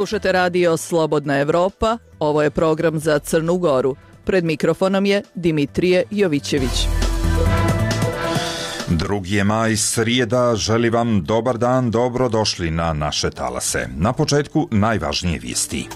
Slušate radio Slobodna Evropa, ovo je program za Crnu Goru. Pred mikrofonom je Dimitrije Jovićević. 2. maj, srijeda, želi vam dobar dan, dobrodošli na naše talase. Na početku najvažnije vijesti.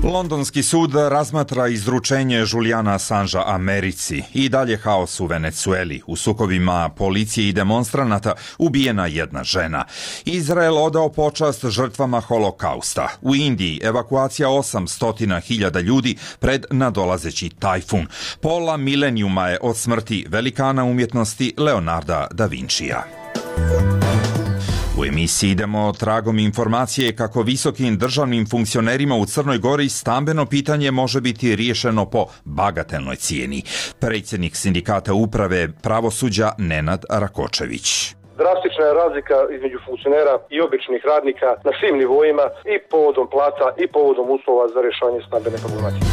Londonski sud razmatra izručenje Julijana Assangea Americi. I dalje haos u Venecueli. U sukobima policije i demonstranata ubijena jedna žena. Izrael odao počast žrtvama holokausta. U Indiji evakuacija 800.000 ljudi pred nadolazeći tajfun. Pola milenijuma je od smrti velikana umjetnosti Leonarda da Vincija. U emisiji idemo tragom informacije kako visokim državnim funkcionerima u Crnoj Gori stambeno pitanje može biti riješeno po bagatelnoj cijeni. Predsjednik sindikata uprave pravosuđa Nenad Rakočević. Drastična je razlika između funkcionera i običnih radnika na svim nivoima i povodom plata i povodom uslova za rješavanje stambene problematike.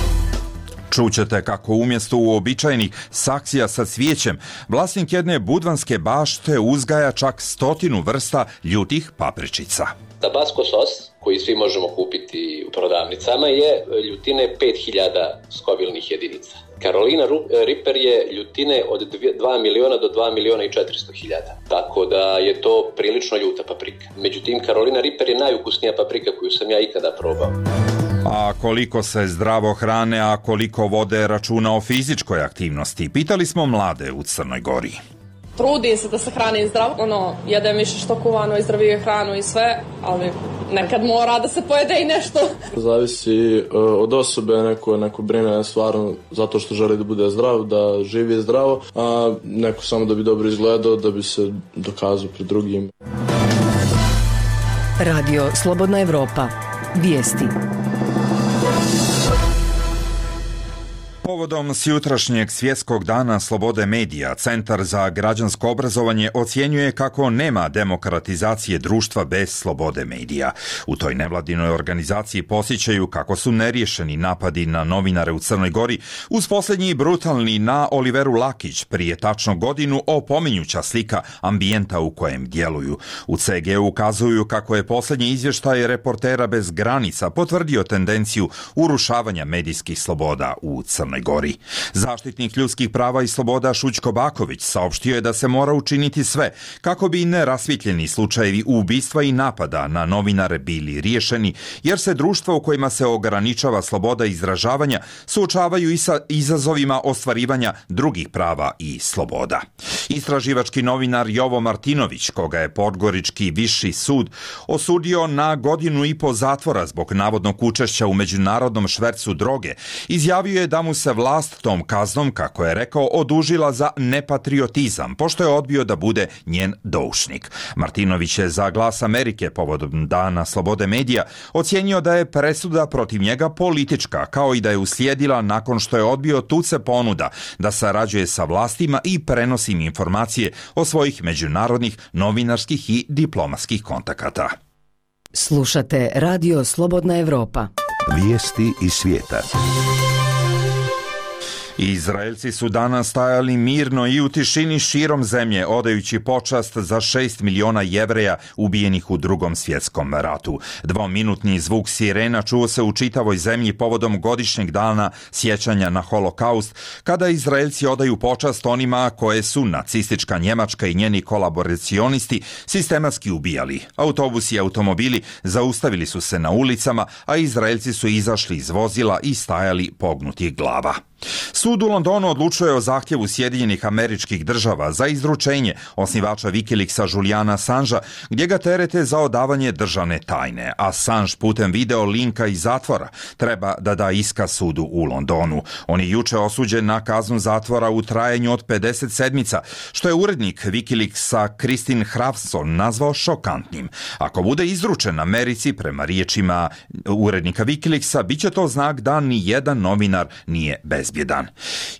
Čućete kako umjesto uobičajenih saksija sa cvijećem, vlasnik jedne budvanske bašte uzgaja čak 100 vrsta ljutih papričica. Tabasco sos, koji svi možemo kupiti u prodavnicama, je ljutine 5000 skovilnih jedinica. Carolina Reaper je ljutine od 2 miliona do 2 miliona i 400.000. Tako da je to prilično ljuta paprika. Međutim, Carolina Reaper je najukusnija paprika koju sam ja ikada probao. A koliko se zdravo hrane, a koliko vode računa o fizičkoj aktivnosti? Pitali smo mlade u Crnoj Gori. Trudim se da se hranim zdravo, jedem više što kuvano i zdravije hranu i sve, ali nekad mora da se pojede i nešto. Zavisi od osobe, neko brine stvarno zato što želi da bude zdrav, da živi zdravo, a neko samo da bi dobro izgledao, da bi se dokazao pred drugim. Radio Slobodna Evropa. Vijesti. Povodom sjutrašnjeg svjetskog dana slobode medija, Centar za građansko obrazovanje ocjenjuje kako nema demokratizacije društva bez slobode medija. U toj nevladinoj organizaciji podsjećaju kako su neriješeni napadi na novinare u Crnoj Gori, uz posljednji brutalni na Oliveru Lakić prije tačno godinu opominjuća slika ambijenta u kojem djeluju. U CG ukazuju kako je posljednji izvještaj Reportera bez granica potvrdio tendenciju urušavanja medijskih sloboda u Crnoj Gori. Zaštitnik ljudskih prava i sloboda Šućko Baković saopštio je da se mora učiniti sve kako bi nerasvjetljeni slučajevi ubistva i napada na novinare bili riješeni, jer se društva u kojima se ograničava sloboda izražavanja suočavaju i sa izazovima ostvarivanja drugih prava i sloboda. Istraživački novinar Jovo Martinović, koga je Podgorički viši sud osudio na 1,5 godina zatvora zbog navodnog učešća u međunarodnom švercu droge, izjavio je da mu se vlast tom kaznom, kako je rekao, odužila za nepatriotizam, pošto je odbio da bude njen doušnik. Martinović je za Glas Amerike povodom Dana slobode medija ocijenio da je presuda protiv njega politička, kao i da je uslijedila nakon što je odbio tuce ponuda da sarađuje sa vlastima i prenosi informacije o svojih međunarodnih novinarskih i diplomatskih kontakata. Slušate Radio Slobodna Evropa. Vijesti iz svijeta. Izraelci su danas stajali mirno i u tišini širom zemlje, odajući počast za 6 miliona Jevreja ubijenih u Drugom svjetskom ratu. 2-minutni zvuk sirena čuo se u čitavoj zemlji povodom godišnjeg dana sjećanja na holokaust, kada Izraelci odaju počast onima koje su nacistička Njemačka i njeni kolaboracionisti sistematski ubijali. Autobusi i automobili zaustavili su se na ulicama, a Izraelci su izašli iz vozila i stajali pognutih glava. Sud u Londonu odlučuje o zahtjevu Sjedinjenih Američkih Država za izručenje osnivača Wikileaksa Julijana Assangea, gdje ga terete za odavanje državne tajne. Assange putem video linka iz zatvora treba da da iskaz sudu u Londonu. On je juče osuđen na kaznu zatvora u trajanju od 50 sedmica, što je urednik Wikileaksa Kristin Hrafson nazvao šokantnim. Ako bude izručen Americi, prema riječima urednika Wikileaksa, bit će to znak da ni jedan novinar nije bez bezbjedan.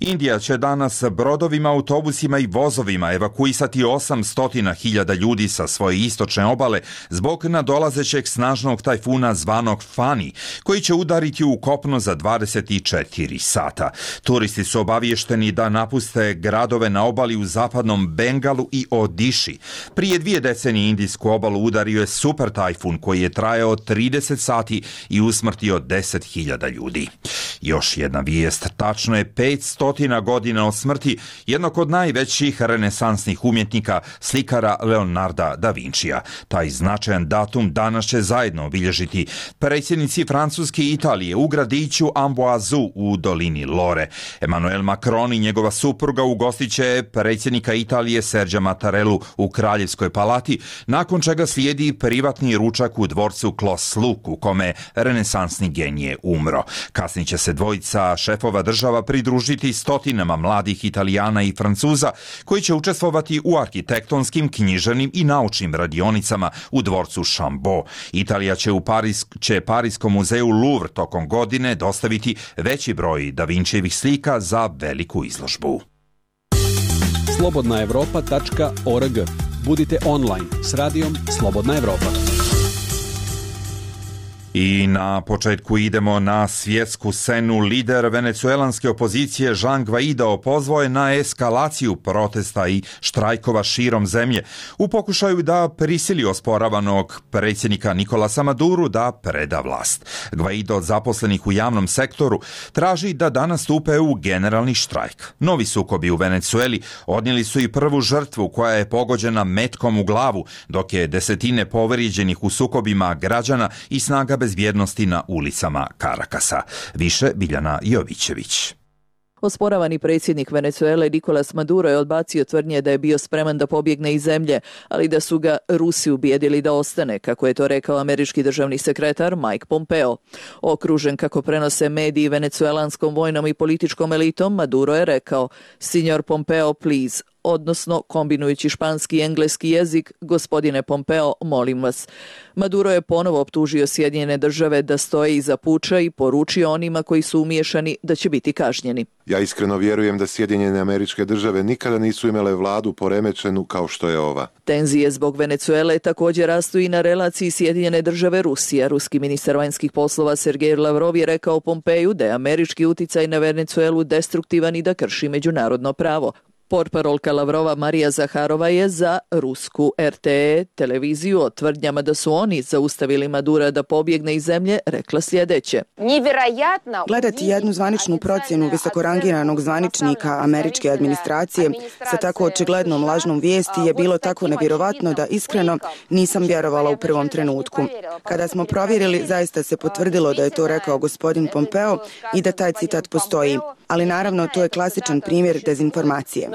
Indija će danas brodovima, autobusima i vozovima evakuisati 800.000 ljudi sa svoje istočne obale zbog nadolazećeg snažnog tajfuna zvanog Fani, koji će udariti u kopno za 24 sata. Turisti su obaviješteni da napuste gradove na obali u zapadnom Bengalu i Odiši. Prije 2 decenije indijsku obalu udario je super tajfun koji je trajao 30 sati i usmrtio 10.000 ljudi. Još jedna vijest, tačno je 500 godina od smrti jednog od najvećih renesansnih umjetnika, slikara Leonarda da Vincija. Taj značajan datum danas će zajedno obilježiti predsjednici Francuske i Italije u gradiću Amboise u dolini Lore. Emmanuel Macron i njegova supruga ugostit će predsjednika Italije Sergia Mattarellu u Kraljevskoj palati, nakon čega slijedi privatni ručak u dvorcu Clos Luc u kome renesansni genije umro. Kasnije će se dvojica šefova država pridružiti stotinama mladih Italijana i Francuza koji će učestvovati u arhitektonskim, književnim i naučnim radionicama u dvorcu Chambord. Italija će Pariskom muzeju Louvre tokom godine dostaviti veći broj Da Vincijevih slika za veliku izložbu. Slobodnaevropa.org. Budite online s radijom Slobodna Evropa. I na početku idemo na svjetsku scenu. Lider venecuelanske opozicije Juan Guaido pozvao je na eskalaciju protesta i štrajkova širom zemlje u pokušaju da prisili osporavanog predsjednika Nicolasa Maduru da preda vlast. Guaido od zaposlenih u javnom sektoru traži da danas stupe u generalni štrajk. Novi sukobi u Venecueli odnijeli su i prvu žrtvu koja je pogođena metkom u glavu, dok je desetine povrijeđenih u sukobima građana i snaga bezbjednosti na ulicama Karakasa. Više Biljana Jovićević. Osporavani predsjednik Venecuele Nicolas Maduro je odbacio tvrdnje da je bio spreman da pobjegne iz zemlje, ali da su ga Rusi ubijedili da ostane, kako je to rekao američki državni sekretar Mike Pompeo. Okružen, kako prenose mediji, venecuelanskom vojnom i političkom elitom, Maduro je rekao: "Signor Pompeo, please", odnosno kombinujući španski i engleski jezik, "Gospodine Pompeo, molim vas." Maduro je ponovo optužio Sjedinjene države da stoje iza puča i poručio onima koji su umiješani da će biti kažnjeni. Ja iskreno vjerujem da Sjedinjene Američke Države nikada nisu imale vladu poremećenu kao što je ova. Tenzije zbog Venecuele također rastu i na relaciji Sjedinjene Države Rusija. Ruski ministar vanjskih poslova Sergej Lavrov je rekao Pompeju da je američki uticaj na Venecuelu destruktivan i da krši međunarodno pravo. Portparolka Lavrova Marija Zaharova je za rusku RTE televiziju o tvrdnjama da su oni zaustavili Madura da pobjegne iz zemlje rekla sljedeće: "Gledati jednu zvaničnu procjenu visokorangiranog zvaničnika američke administracije sa tako očiglednom lažnom vijesti je bilo tako nevjerovatno da iskreno nisam vjerovala u prvom trenutku. Kada smo provjerili, zaista se potvrdilo da je to rekao gospodin Pompeo i da taj citat postoji. Ali naravno, to je klasičan primjer dezinformacije."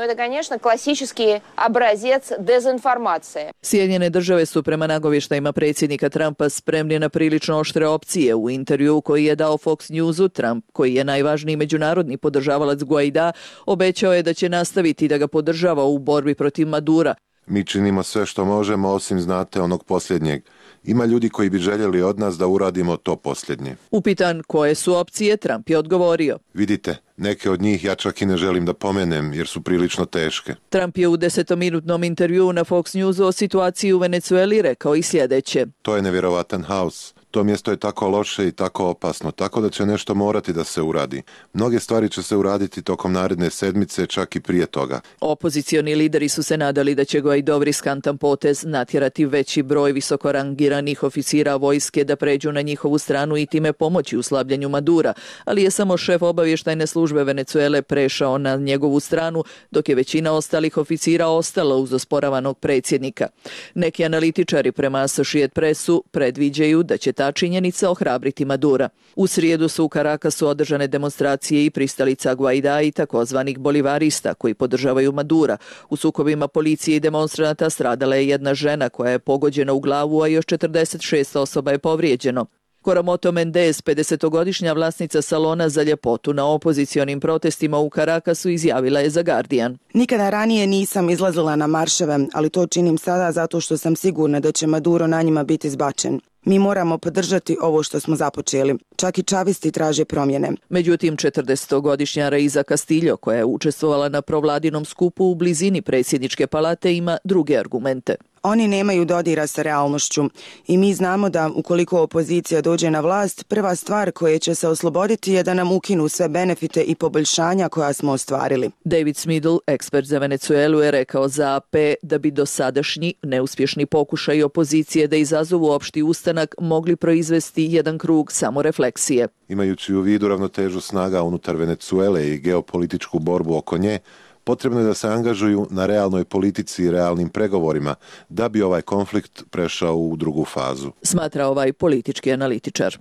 Sjedinjene države su prema nagovještajima predsjednika Trumpa spremni na prilično oštre opcije. U intervjuu koji je dao Fox Newsu, Trump, koji je najvažniji međunarodni podržavalac Guaida, obećao je da će nastaviti da ga podržava u borbi protiv Madura. Mi činimo sve što možemo, osim, znate, onog posljednjeg. Ima ljudi koji bi željeli od nas da uradimo to posljednje. Upitan koje su opcije, Trump je odgovorio: "Vidite, neke od njih ja čak i ne želim da pomenem jer su prilično teške." Trump je u 10-minutnom intervjuu na Fox Newsu o situaciji u Venecueli rekao i sljedeće: "To je nevjerovatan haos. To mjesto je tako loše i tako opasno, tako da će nešto morati da se uradi. Mnoge stvari će se uraditi tokom naredne sedmice, čak i prije toga." Opozicioni lideri su se nadali da će Guaidov riskantan potez natjerati veći broj visokorangiranih oficira vojske da pređu na njihovu stranu i time pomoći u slabljenju Madura, ali je samo šef obavještajne službe Venecuele prešao na njegovu stranu, dok je većina ostalih oficira ostala uz osporavanog predsjednika. Neki analitičari prema Associated Pressu predviđaju da će ta činjenica ohrabriti Madura. U srijedu su u Carakasu održane demonstracije i pristalica Guaida i takozvanih bolivarista koji podržavaju Madura. U sukobima policije i demonstranata stradala je jedna žena koja je pogođena u glavu, a još 46 osoba je povrijeđeno. Coromoto Mendez, 50-godišnja vlasnica salona za ljepotu na opozicionim protestima u Carakasu, izjavila je za Guardian: "Nikada ranije nisam izlazila na marševe, ali to činim sada zato što sam sigurna da će Maduro na njima biti zbačen." Mi moramo podržati ovo što smo započeli. Čak i čavisti traže promjene. Međutim, 40-godišnja Reiza Castillo, koja je učestvovala na provladinom skupu u blizini predsjedničke palate, ima druge argumente. Oni nemaju dodira sa realnošću i mi znamo da ukoliko opozicija dođe na vlast, prva stvar koje će se osloboditi je da nam ukinu sve benefite i poboljšanja koja smo ostvarili. David Smidl, ekspert za Venecuelu, je rekao za AP da bi dosadašnji neuspješni pokušaj opozicije da izazovu opšti ustanak mogli proizvesti jedan krug samorefleksije. Imajući u vidu ravnotežu snaga unutar Venecuele i geopolitičku borbu oko nje, potrebno je da se angažuju na realnoj politici i realnim pregovorima da bi ovaj konflikt prešao u drugu fazu. Smatra ovaj politički analitičar.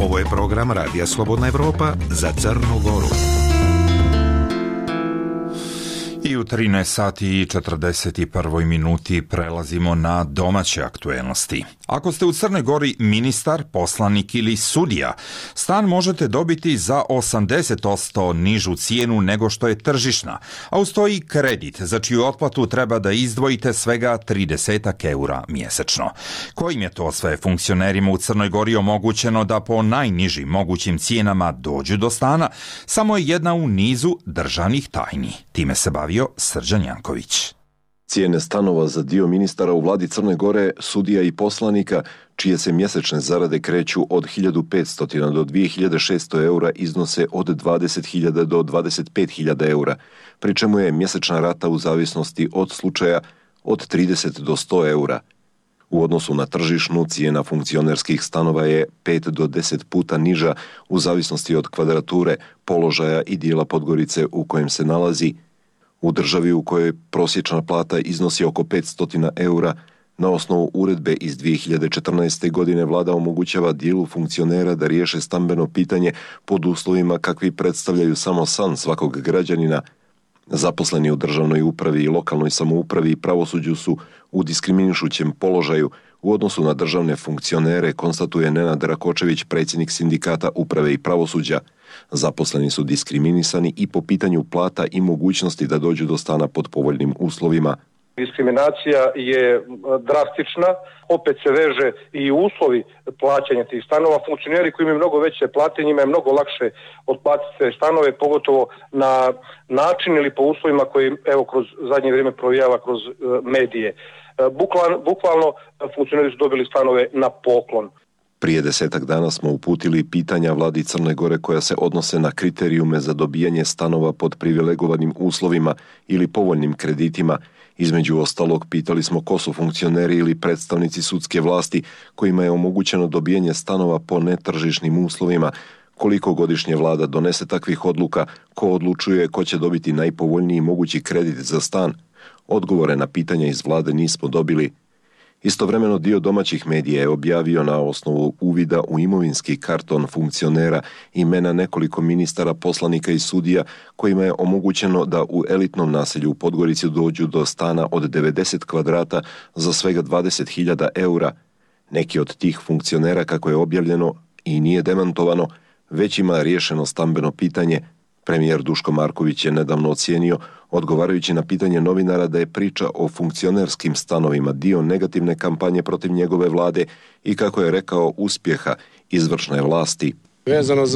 Ovo je program Radija Slobodna Evropa za Crnu Goru. I u 13 sati i 41 minuti prelazimo na domaće aktuelnosti. Ako ste u Crnoj Gori ministar, poslanik ili sudija, stan možete dobiti za 80% nižu cijenu nego što je tržišna, a uz to i kredit, za čiju otplatu treba da izdvojite svega 30 eura mjesečno. Kojim je to sve funkcionerima u Crnoj Gori omogućeno da po najnižim mogućim cijenama dođu do stana, samo je jedna u nizu državnih tajni. Time se bavio Srđan Janković. Cijene stanova za dio ministara u vladi Crne Gore, sudija i poslanika, čije se mjesečne zarade kreću od 1500 do 2600 eura, iznose od 20.000 do 25.000 eura, pri čemu je mjesečna rata u zavisnosti od slučaja od 30 do 100 eura. U odnosu na tržišnu, cijena funkcionerskih stanova je 5 do 10 puta niža u zavisnosti od kvadrature, položaja i dijela Podgorice u kojem se nalazi. U državi u kojoj prosječna plata iznosi oko 500 eura, na osnovu uredbe iz 2014. godine vlada omogućava dijelu funkcionera da riješe stambeno pitanje pod uslovima kakvi predstavljaju samo san svakog građanina. Zaposleni u državnoj upravi i lokalnoj samoupravi i pravosuđu su u diskriminišućem položaju u odnosu na državne funkcionere, konstatuje Nenad Rakočević, predsjednik sindikata uprave i pravosuđa. Zaposleni su diskriminisani i po pitanju plata i mogućnosti da dođu do stana pod povoljnim uslovima. Diskriminacija je drastična, opet se veže i uslovi plaćanja tih stanova. Funkcioneri koji imaju mnogo veće plate, njima je mnogo lakše otplatiti te stanove, pogotovo na način ili po uslovima koji evo kroz zadnje vrijeme provijava kroz medije. Bukvalno funkcioneri su dobili stanove na poklon. Prije 10 dana smo uputili pitanja vladi Crne Gore koja se odnose na kriterijume za dobijanje stanova pod privilegovanim uslovima ili povoljnim kreditima. Između ostalog, pitali smo ko su funkcioneri ili predstavnici sudske vlasti kojima je omogućeno dobijanje stanova po netržišnim uslovima, koliko godišnje vlada donese takvih odluka, ko odlučuje ko će dobiti najpovoljniji mogući kredit za stan. Odgovore na pitanja iz vlade nismo dobili. Istovremeno dio domaćih medija je objavio na osnovu uvida u imovinski karton funkcionera imena nekoliko ministara, poslanika i sudija kojima je omogućeno da u elitnom naselju u Podgorici dođu do stana od 90 kvadrata za svega 20.000 eura. Neki od tih funkcionera, kako je objavljeno i nije demantovano, već ima riješeno stambeno pitanje. Premijer Duško Marković je nedavno ocijenio, odgovarajući na pitanje novinara, da je priča o funkcionerskim stanovima dio negativne kampanje protiv njegove vlade i, kako je rekao, uspjeha izvršne vlasti. Vezano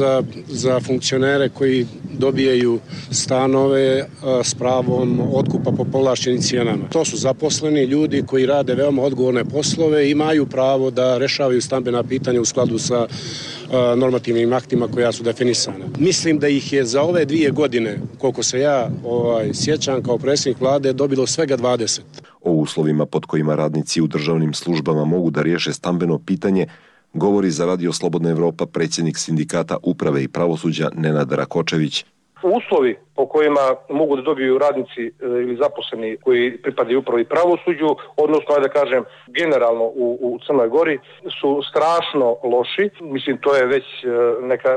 za funkcionere koji dobijaju stanove s pravom otkupa po povlaštenim cijenama. To su zaposleni ljudi koji rade veoma odgovorne poslove i imaju pravo da rešavaju stambena pitanja u skladu sa normativnim aktima koja su definisana. Mislim da ih je za ove 2 godine, koliko se ja sjećam kao predsjednik vlade, dobilo svega 20. O uslovima pod kojima radnici u državnim službama mogu da riješe stambeno pitanje govori za Radio Slobodna Evropa predsjednik sindikata uprave i pravosuđa Nenad Rakočević. Uslovi po kojima mogu da dobiju radnici ili zaposleni koji pripadaju upravi i pravosuđu, odnosno, da kažem, generalno u Crnoj Gori, su strašno loši. Mislim, to je već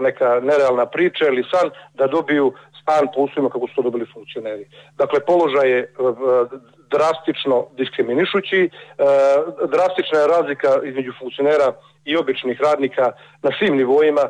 neka nerealna priča ili san da dobiju stan po uslovima kako su to dobili funkcioneri. Dakle, položaj je drastično diskriminišući. Drastična je razlika između funkcionera i običnih radnika na svim nivoima,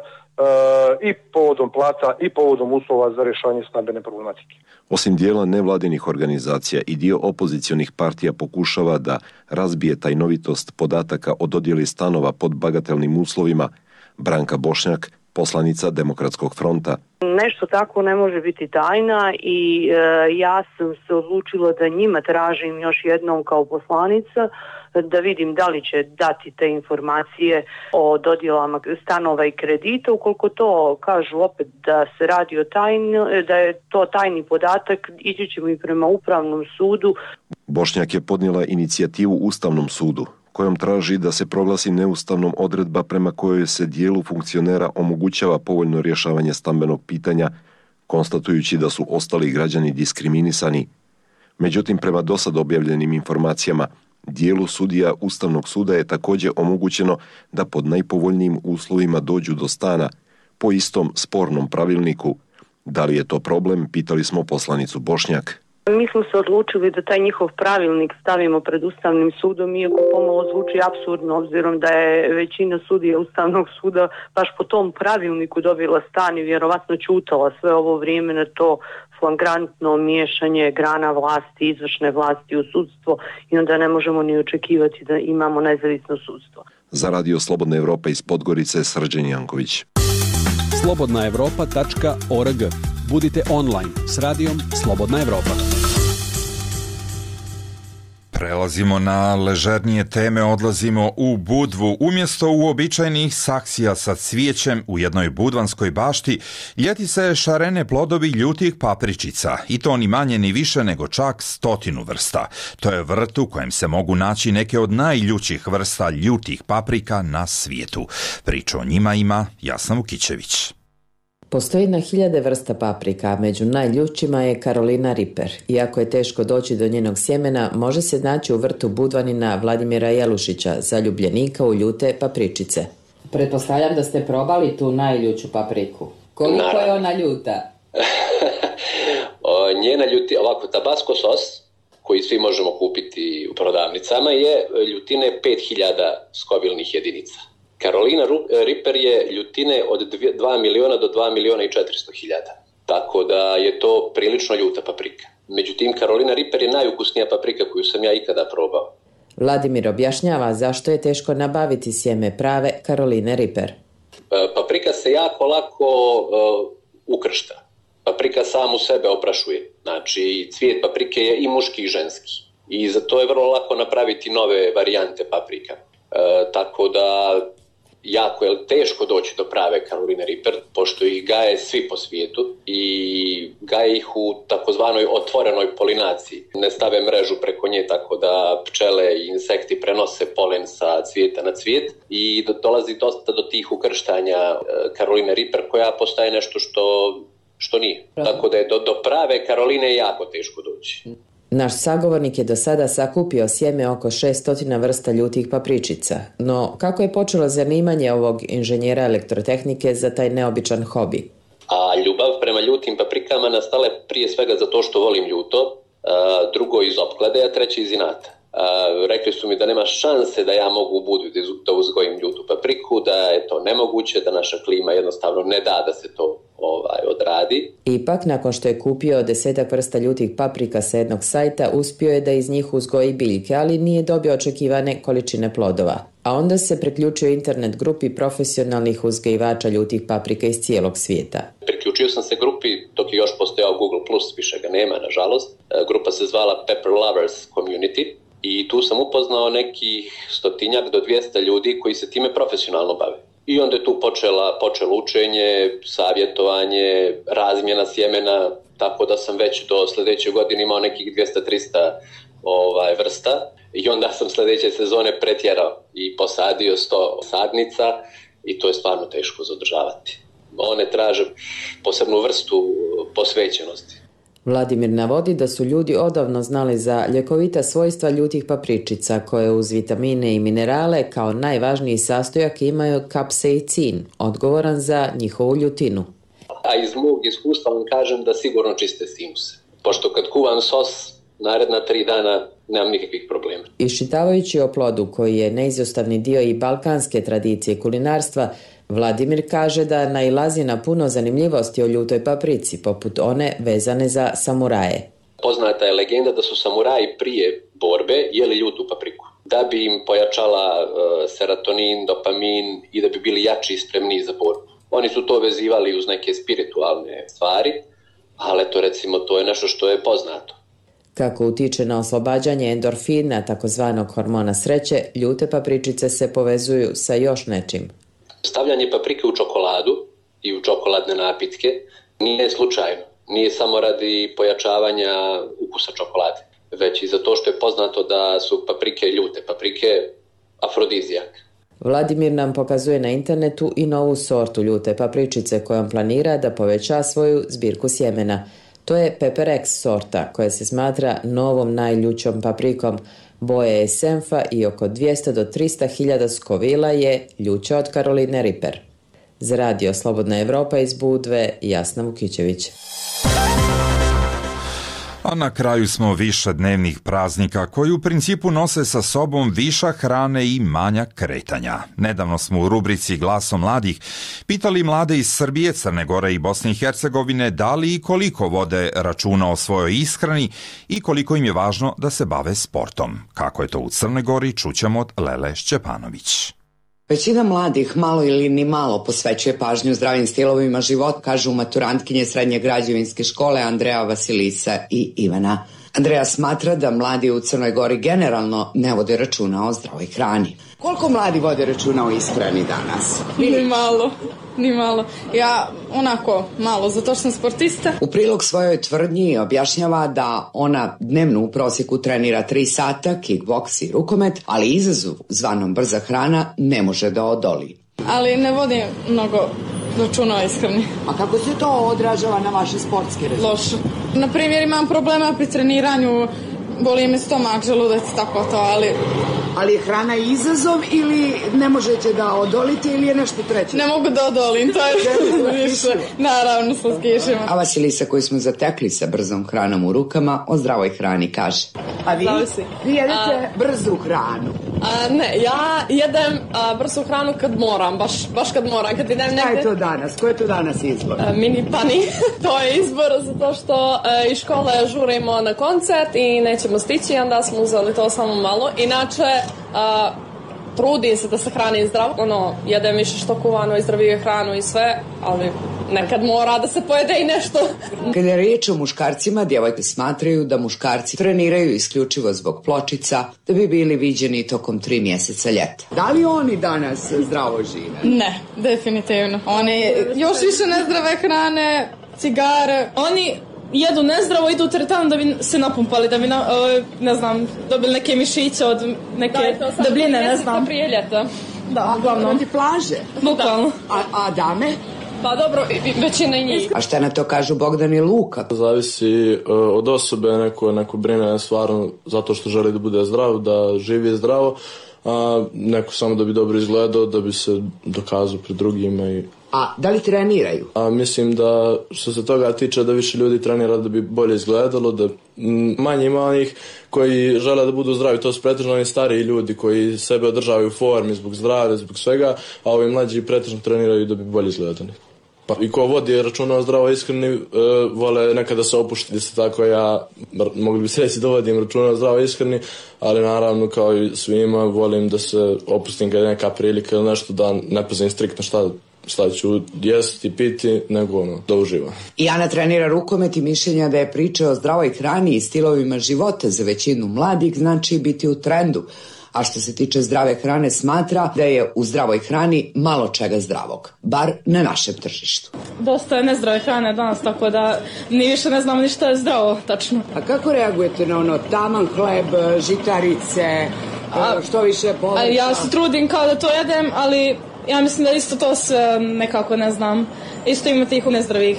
i povodom plata i povodom uslova za rješavanje stambene problematike. Osim dijela nevladinih organizacija i dio opozicionih partija pokušava da razbije tajnovitost podataka o dodjeli stanova pod bagatelnim uslovima, Branka Bošnjak, poslanica Demokratskog fronta. Nešto tako ne može biti tajna i ja sam se odlučila da njima tražim još jednom kao poslanica da vidim da li će dati te informacije o dodjelama stanova i kredita. Ukoliko to kažu opet da se radi o da je to tajni podatak, ići ćemo i prema Upravnom sudu. Bošnjak je podnijela inicijativu Ustavnom sudu, kojom traži da se proglasi neustavnom odredba prema kojoj se dijelu funkcionera omogućava povoljno rješavanje stambenog pitanja, konstatujući da su ostali građani diskriminisani. Međutim, prema dosad objavljenim informacijama, dijelu sudija Ustavnog suda je također omogućeno da pod najpovoljnijim uslovima dođu do stana po istom spornom pravilniku. Da li je to problem, pitali smo poslanicu Bošnjak. Mi smo se odlučili da taj njihov pravilnik stavimo pred Ustavnim sudom, iako pomalo zvuči apsurdno, obzirom da je većina sudija Ustavnog suda baš po tom pravilniku dobila stan i vjerovatno ćutala sve ovo vrijeme na to flagrantno miješanje grana vlasti, izvršne vlasti u sudstvo, i onda ne možemo ni očekivati da imamo nezavisno sudstvo. Za Radio Slobodna Evropa iz Podgorice, Srđan Janković. slobodnaevropa.org. Budite online s radijom Slobodna Evropa. Prelazimo na ležernije teme, odlazimo u Budvu. Umjesto uobičajenih saksija sa cvijećem u jednoj budvanskoj bašti, ljeti se šarene plodovi ljutih papričica, i to ni manje ni više nego čak 100 vrsta. To je vrt u kojem se mogu naći neke od najljućih vrsta ljutih paprika na svijetu. Priču o njima ima Jasna Vukićević. Postoji na 1000 vrsta paprika, a među najljućima je Carolina Reaper. Iako je teško doći do njenog sjemena, može se naći u vrtu budvanina Vladimira Jelušića, zaljubljenika u ljute papričice. Pretpostavljam da ste probali tu najljuću papriku. Koliko je ona ljuta? Njena ljuti, ovako, tabasco sos, koji svi možemo kupiti u prodavnicama, je ljutine 5000 skovilnih jedinica. Carolina Reaper je ljutine od 2 miliona do 2 miliona i 400 hiljada. Tako da je to prilično ljuta paprika. Međutim, Carolina Reaper je najukusnija paprika koju sam ja ikada probao. Vladimir objašnjava zašto je teško nabaviti sjeme prave Caroline Reaper. Paprika se jako lako ukršta. Paprika sam u sebe oprašuje. Znači, cvijet paprike je i muški i ženski. I za to je vrlo lako napraviti nove varijante paprika. Tako da jako je teško doći do prave Caroline Reaper, pošto ih gaje svi po svijetu i gaje ih u takozvanoj otvorenoj polinaciji. Ne stave mrežu preko nje, tako da pčele i insekti prenose polen sa cvijeta na cvijet i dolazi dosta do tih ukrštanja Caroline Reaper, koja postaje nešto što nije. Tako da je do prave Caroline jako teško doći. Naš sagovornik je do sada sakupio sjeme oko 600 vrsta ljutih papričica. No, kako je počelo zanimanje ovog inženjera elektrotehnike za taj neobičan hobi? A ljubav prema ljutim paprikama nastala je prije svega zato što volim ljuto, drugo iz opklade, a treće iz inata. Rekli su mi da nema šanse da ja mogu u Budvi da uzgojim ljutu papriku, da je to nemoguće, da naša klima jednostavno ne da se to odradi. Ipak, nakon što je kupio 10 vrsta ljutih paprika sa jednog sajta, uspio je da iz njih uzgoji biljke, ali nije dobio očekivane količine plodova. A onda se priključio internet grupi profesionalnih uzgajivača ljutih paprika iz cijelog svijeta. Priključio sam se grupi dok je još postojao Google+, više ga nema, nažalost. Grupa se zvala Pepper Lovers Community i tu sam upoznao nekih 100 do 200 ljudi koji se time profesionalno bave. I onda je tu počelo učenje, savjetovanje, razmjena sjemena, tako da sam već do sljedeće godine imao nekih 200-300 vrsta. I onda sam sljedeće sezone pretjerao i posadio 100 sadnica i to je stvarno teško zadržavati. One traže posebnu vrstu posvećenosti. Vladimir navodi da su ljudi odavno znali za ljekovita svojstva ljutih papričica, koje uz vitamine i minerale kao najvažniji sastojak imaju kapsaicin, odgovoran za njihovu ljutinu. A iz mog iskustva vam kažem da sigurno čiste sinuse. Pošto kad kuvam sos, naredna 3 dana nemam nikakvih problema. Iščitavajući o plodu koji je neizostavni dio i balkanske tradicije kulinarstva, Vladimir kaže da nailazi na puno zanimljivosti o ljutoj paprici, poput one vezane za samuraje. Poznata je legenda da su samuraji prije borbe jeli ljutu papriku, da bi im pojačala serotonin, dopamin i da bi bili jači i spremniji za borbu. Oni su to vezivali uz neke spiritualne stvari, ali eto recimo to je nešto što je poznato. Kako utiče na oslobađanje endorfina, takozvanog hormona sreće, ljute papričice se povezuju sa još nečim. Stavljanje paprike u čokoladu i u čokoladne napitke nije slučajno. Nije samo radi pojačavanja ukusa čokolade, već i zato što je poznato da su paprike ljute, paprike afrodizijak. Vladimir nam pokazuje na internetu i novu sortu ljute papričice kojom planira da poveća svoju zbirku sjemena. To je Pepper X sorta koja se smatra novom najljućom paprikom. Boje je senfa i oko 200 do 300 hiljada skovila je ljuća od Caroline Ripper. Za Radio Slobodna Evropa iz Budve, Jasna Vukićević. A na kraju smo višednevnih praznika koji u principu nose sa sobom višak hrane i manjak kretanja. Nedavno smo u rubrici Glasom mladih pitali mlade iz Srbije, Crne Gore i Bosne i Hercegovine da li i koliko vode računa o svojoj ishrani i koliko im je važno da se bave sportom. Kako je to u Crnoj Gori, čućemo od Lele Šćepanović. Većina mladih malo ili ni malo posvećuje pažnju zdravim stilovima života, kažu maturantkinje Srednje građevinske škole Andreja, Vasilisa i Ivana. Andreja smatra da mladi u Crnoj Gori generalno ne vode računa o zdravoj hrani. Koliko mladi vode računa o ishrani danas? Ni malo. Ja onako malo, zato što sam sportista. U prilog svojoj tvrdnji objašnjava da ona dnevno u prosjeku trenira 3 sata, kickboks i rukomet, ali izazovu zvanom brza hrana ne može da odoli. Ali ne vodim mnogo računa o ishrani. A kako se to odražava na vaše sportske rezultate? Loše. Na primjer, imam problema pri treniranju, boli me stomak, želudac, tako to, ali... Ali je hrana izazov ili ne možete da odolite ili je nešto treće? Ne mogu da odolim, to je više, naravno sa skišima. A Vasilisa koju smo zatekli sa brzom hranom u rukama o zdravoj hrani kaže. A vi? Vi jedete brzu hranu? Ne, ja jedem brzu hranu kad moram, baš kad moram. Kad idem negde... Šta je to danas? Ko je to danas izbor? Mini pani, to je izbor zato što iz škole žurimo na koncert i nećemo stići, onda smo uzeli to samo malo. Inače, trudim se da se hranim zdravo, jedem više što kuvano i zdravije hranu i sve, ali nekad mora da se pojede i nešto. Kada je riječ o muškarcima, djevojke smatraju da muškarci treniraju isključivo zbog pločica da bi bili viđeni tokom 3 mjeseca ljeta. Da li oni danas zdravo žive? Ne, definitivno. Oni još više nezdrave hrane, cigare, oni jedu nezdravo, idu u teretanu da bi se napumpali, da bi, dobili neke mišiće od neke debljine, ne znam. Prije ljeta. Da, uglavnom. Radi plaže? Bukvalno. A dame? Pa dobro, većina i njih. A šta na to kažu Bogdan i Luka? Zavisi od osobe, neko brine stvarno zato što želi da bude zdrav, da živi zdravo, a neko samo da bi dobro izgledao, da bi se dokazao pred drugima. A da li treniraju? Mislim da što se toga tiče da više ljudi trenira da bi bolje izgledalo, da manje ima onih koji žele da budu zdravi, to su pretežno oni stariji ljudi koji sebe održavaju u formi zbog zdravlja, zbog svega, a ovi mlađi pretežno treniraju da bi bolje izgledali. I ko vodi računa o zdravoj ishrani, vole nekada se opuštiti, tako ja mogli bi se reći da vodim računa o zdravoj ishrani, ali naravno kao i svima volim da se opustim kad je neka prilika ili nešto, da ne pazim striktno šta ću jesti i piti, nego da uživam. I Ana trenira rukomet i mišljenja da je priča o zdravoj hrani i stilovima života za većinu mladih znači biti u trendu. A što se tiče zdrave hrane, smatra da je u zdravoj hrani malo čega zdravog, bar na našem tržištu. Dosta je nezdrave hrane danas, tako da ni više ne znam ni što je zdravo, tačno. A kako reagujete na taman hleb, žitarice, što više povrća? Ja se trudim kao da to jedem, ali ja mislim da isto to sve nekako ne znam. Isto ima tih nezdravih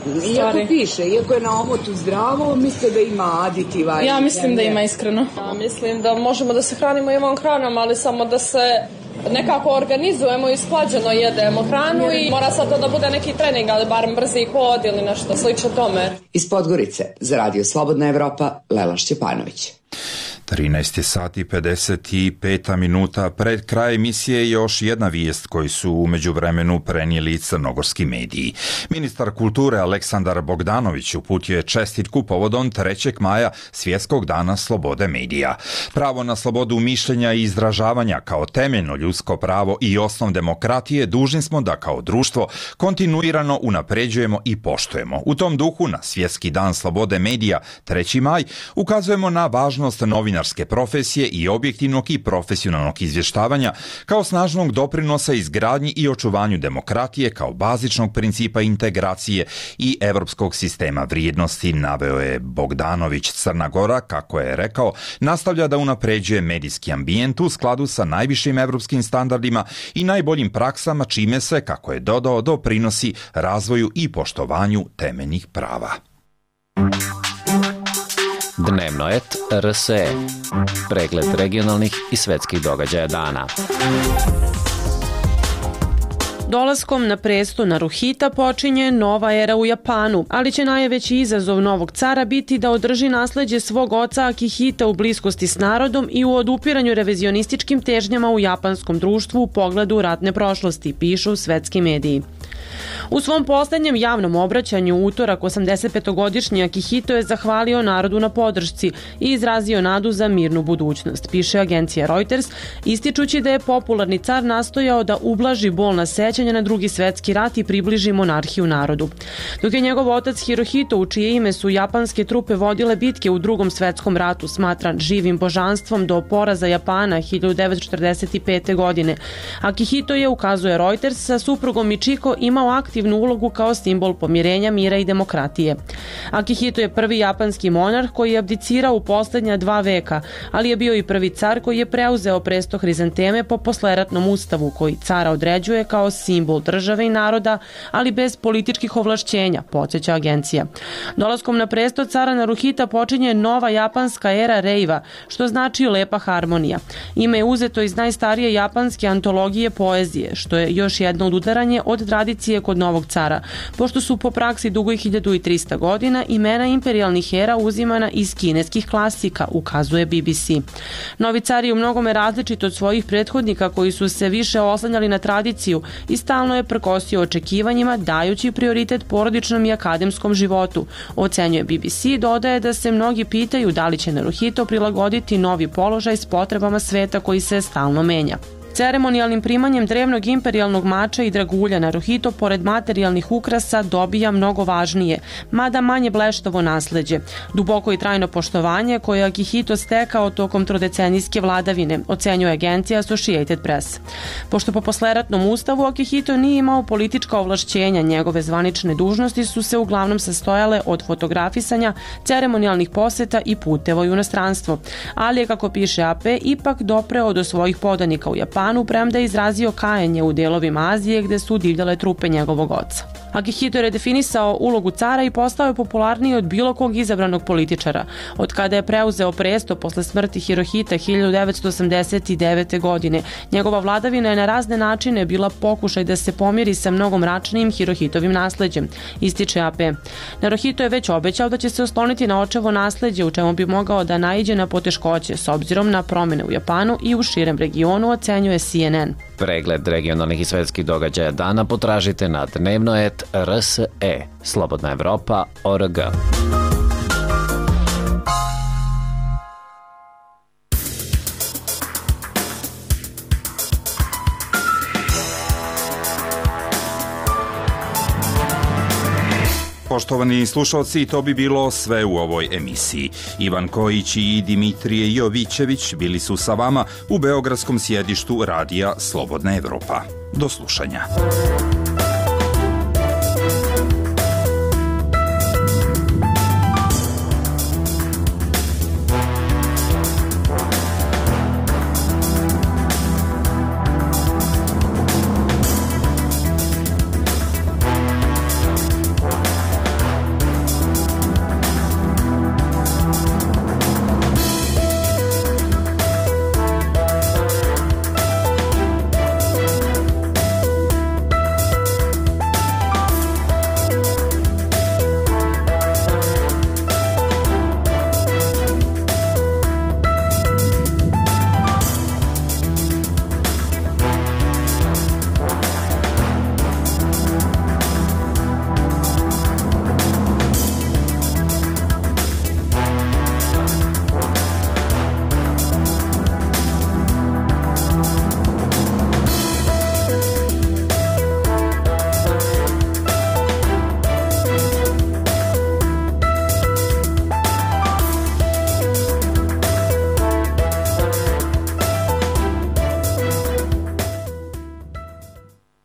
stvari. Iako piše, iako je na omotu zdravo, mislite da ima aditiva? Ja mislim da ima, iskreno. Ja mislim da možemo da se hranimo i ovom hranom, ali samo da se nekako organizujemo i sklađeno jedemo hranu i mora sad to da bude neki trening, ali barem brzi hod ili nešto slično tome. Iz Podgorice za Radio Slobodna Evropa, Lela Šćepanović. 13 sati i 55 minuta pred kraj emisije još jedna vijest koju su u međuvremenu prenijeli crnogorski mediji. Ministar kulture Aleksandar Bogdanović uputio je čestitku povodom 3. maja Svjetskog dana slobode medija. Pravo na slobodu mišljenja i izražavanja kao temeljno ljudsko pravo i osnov demokratije dužni smo da kao društvo kontinuirano unapređujemo i poštujemo. U tom duhu na Svjetski dan slobode medija 3. maj ukazujemo na važnost novinarske profesije i objektivnog i profesionalnog izvještavanja kao snažnog doprinosa izgradnji i očuvanju demokratije kao bazičnog principa integracije i europskog sistema vrijednosti, naveo je Bogdanović. Crna Gora, kako je rekao, nastavlja da unapređuje medijski ambijent u skladu sa najvišim europskim standardima i najboljim praksama, čime se, kako je dodao, doprinosi razvoju i poštovanju temeljnih prava. Dnevno et RSE. Pregled regionalnih i svetskih događaja dana. Dolaskom na presto Naruhita počinje nova era u Japanu, ali će najveći izazov novog cara biti da održi nasleđe svog oca Akihita u bliskosti s narodom i u odupiranju revizionističkim težnjama u japanskom društvu u pogledu ratne prošlosti, pišu svetski mediji. U svom posljednjem javnom obraćanju u utorak 85-godišnji Akihito je zahvalio narodu na podršci i izrazio nadu za mirnu budućnost, piše agencija Reuters, ističući da je popularni car nastojao da ublaži bolna sećanja na Drugi svjetski rat i približi monarhiju narodu. Dok je njegov otac Hirohito, u čije ime su japanske trupe vodile bitke u Drugom svjetskom ratu, smatran živim božanstvom do poraza Japana 1945. godine. Akihito je, ukazuje Reuters, sa suprugom Michiko imao aktivnu ulogu kao simbol pomirenja, mira i demokratije. Akihito je prvi japanski monarh koji je abdicirao u posljednja 2 veka, ali je bio i prvi car koji je preuzeo presto hrizanteme po posleratnom ustavu koji cara određuje kao simbol države i naroda, ali bez političkih ovlašćenja, podsjeća agencija. Dolaskom na presto cara Naruhita počinje nova japanska era Reiva, što znači lepa harmonija. Ime je uzeto iz najstarije japanske antologije poezije, što je još jedno odudaranje od tradicije kod novog cara, pošto su po praksi dugoj 1300 godina imena imperijalnih era uzimana iz kineskih klasika, ukazuje BBC. Novi car je u mnogome različit od svojih prethodnika koji su se više oslanjali na tradiciju i stalno je prkosio očekivanjima, dajući prioritet porodičnom i akademskom životu, ocenjuje BBC. Dodaje da se mnogi pitaju da li će Naruhito prilagoditi novi položaj s potrebama sveta koji se stalno menja. Ceremonijalnim primanjem drevnog imperijalnog mača i dragulja Naruhito pored materijalnih ukrasa dobija mnogo važnije, mada manje bleštavo nasleđe, duboko i trajno poštovanje koje je Akihito stekao tokom trodecenijske vladavine, ocenjuje agencija Associated Press. Pošto po posleratnom ustavu Akihito nije imao politička ovlašćenja, njegove zvanične dužnosti su se uglavnom sastojale od fotografisanja, ceremonijalnih poseta i puteva u inostranstvo, ali je, kako piše AP, ipak dopreo do svojih podanika u Japanu, premda je izrazio kajanje u delovima Azije gde su divljale trupe njegovog oca. Akihito je redefinisao ulogu cara i postao je popularniji od bilo kog izabranog političara. Od kada je preuzeo presto posle smrti Hirohita 1989. godine, njegova vladavina je na razne načine bila pokušaj da se pomiri sa mnogo mračnijim Hirohitovim nasleđem, ističe AP. Naruhito je već obećao da će se osloniti na očevo nasleđe, u čemu bi mogao da naiđe na poteškoće s obzirom na promjene u Japanu i u širem regionu, ocenjuje CNN. Pregled regionalnih i svetskih događaja dana potražite na dnevno.rs.e. Slobodna Evropa.org. Poštovani slušalci, to bi bilo sve u ovoj emisiji. Ivan Kojić i Dimitrije Jovićević bili su sa vama u beogradskom sjedištu radija Slobodna Evropa. Do slušanja.